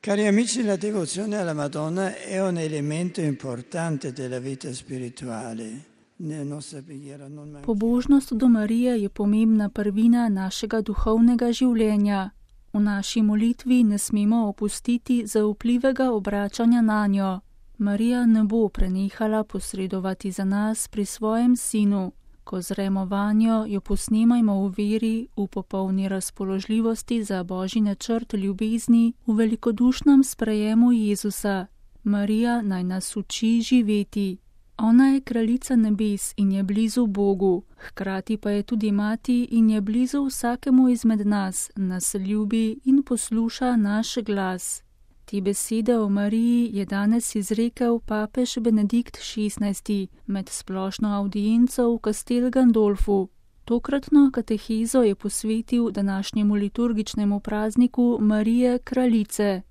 Cari amici, la devozione alla Madonna è un elemento importante della vita spirituale. Nella nostra preghiera non manchiamo. Pobožnost do Marije je pomembna prvina našega duhovnega življenja. V naši molitvi ne smemo opustiti zaupljivega obračanja na njo. Marija ne bo prenehala posredovati za nas pri svojem sinu. Ko zremo vanjo, jo posnemajmo v veri, v popolni razpoložljivosti za Božji načrt ljubezni, v velikodušnem sprejemu Jezusa. Marija naj nas uči živeti. Ona je kraljica nebes in je blizu Bogu, hkrati pa je tudi mati in je blizu vsakemu izmed nas, nas ljubi in posluša naš glas. Te besede o Mariji je danes izrekel papež Benedikt XVI med splošno avdienco v Castel Gandolfu. Tokratno katehezo je posvetil današnjemu liturgičnemu prazniku Marije kraljice.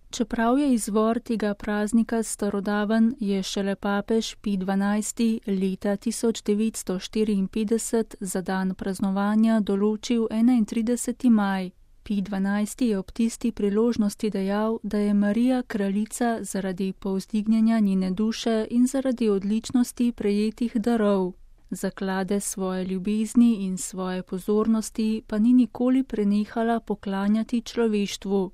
Čeprav je izvor tega praznika starodaven, je šele papež Pij XII. Leta 1954 za dan praznovanja določil 31. maj. Pij XII. Je ob tisti priložnosti dejal, da je Marija kraljica zaradi povzdignjenja njene duše in zaradi odličnosti prejetih darov. Zaklade svoje ljubezni in svoje pozornosti pa ni nikoli prenehala poklanjati človeštvu.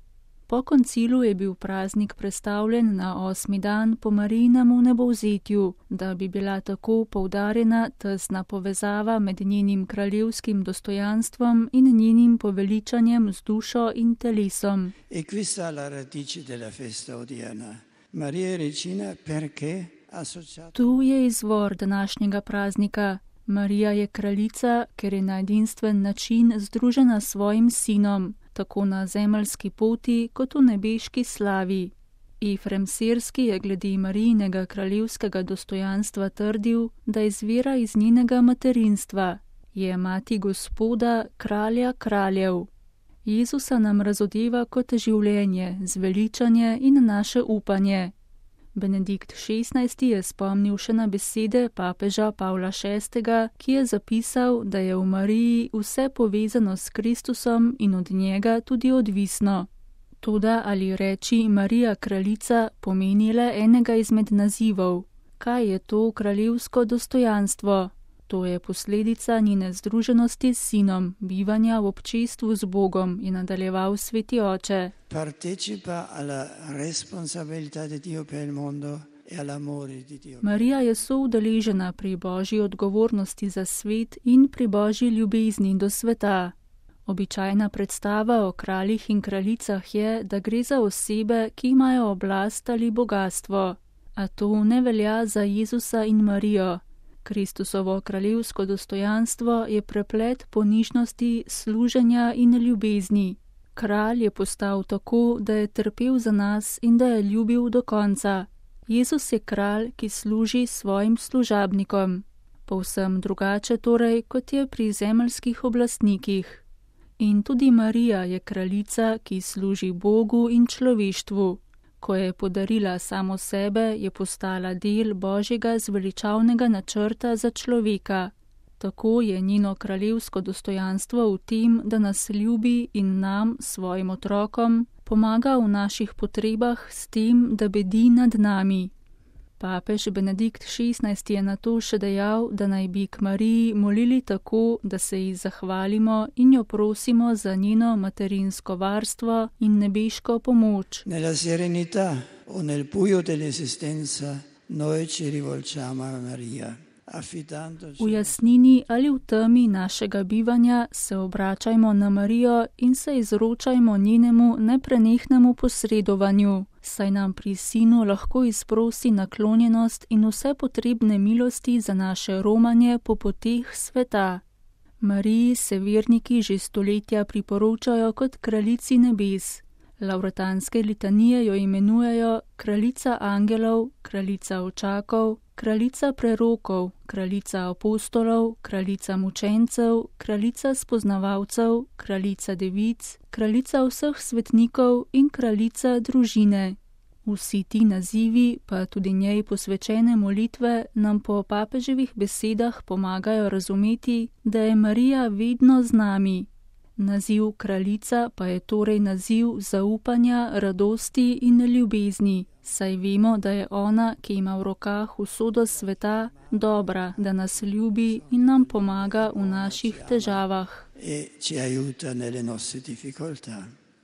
Po koncilu je bil praznik prestavljen na 8. dan po Marijinem vnebovzetju, da bi bila tako poudarjena tesna povezava med njenim kraljevskim dostojanstvom in njenim poveličanjem z dušo in telesom. E questa la radice della festa odierna. Maria è regina perché associata. Tu je izvor današnjega praznika. Marija je kraljica, ker je na edinstven način združena s svojim sinom, tako na zemeljski poti kot v nebeški slavi. Efrem Sirski je glede Marijinega kraljevskega dostojanstva trdil, da izvira iz njenega materinstva. Je mati Gospoda, kralja kraljev. Jezusa nam razodeva kot življenje, zveličanje in naše upanje. Benedikt XVI. Je spomnil še na besede papeža Pavla VI., ki je zapisal, da je v Mariji vse povezano s Kristusom in od njega tudi odvisno. Toda ali reči Marija kraljica pomeni le enega izmed nazivov? Kaj je to kraljevsko dostojanstvo? To je posledica njene združenosti s sinom, bivanja v občestvu z Bogom, je nadaljeval sveti oče. Partecipa alla responsabilità di Dio per il mondo e all'amore di Dio. Marija je soudeležena pri Božji odgovornosti za svet in pri Božji ljubezni do sveta. Običajna predstava o kraljih in kraljicah je, da gre za osebe, ki imajo oblast ali bogastvo. A to ne velja za Jezusa in Marijo. Kristusovo kraljevsko dostojanstvo je preplet ponižnosti, služenja in ljubezni. Kralj je postal tako, da je trpel za nas in da je ljubil do konca. Jezus je kralj, ki služi svojim služabnikom. Povsem drugače torej, kot je pri zemeljskih oblastnikih. In tudi Marija je kraljica, ki služi Bogu in človeštvu. Ko je podarila samo sebe, je postala del Božjega zveličavnega načrta za človeka. Tako je njeno kraljevsko dostojanstvo v tem, da nas ljubi in nam, svojim otrokom, pomaga v naših potrebah s tem, da bedi nad nami. Papež Benedikt XVI. Je na to še dejal, da naj bi k Mariji molili tako, da se ji zahvalimo in jo prosimo za njeno materinsko varstvo in nebeško pomoč. Nella serenità o nel buio dell'esistenza noi ci rivolgiamo a Maria. V jasnini ali v temi našega bivanja se obračajmo na Marijo in se izročajmo njenemu neprenehnemu posredovanju, saj nam pri sinu lahko izprosi naklonjenost in vse potrebne milosti za naše romanje po poteh sveta. Mariji se verniki že stoletja priporočajo kot kraljici nebes. Lavretanske litanije jo imenujejo kraljica angelov, kraljica očakov, kraljica prerokov, kraljica apostolov, kraljica mučencev, kraljica spoznavalcev, kraljica devic, kraljica vseh svetnikov in kraljica družine. Vsi ti nazivi, pa tudi njej posvečene molitve, nam po papeževih besedah pomagajo razumeti, da je Marija vedno z nami. Naziv kraljica pa je torej naziv zaupanja, radosti in ljubezni, saj vemo, da je ona, ki ima v rokah usodo sveta, dobra, da nas ljubi in nam pomaga v naših težavah. E ci aiuta nelle nostre difficoltà.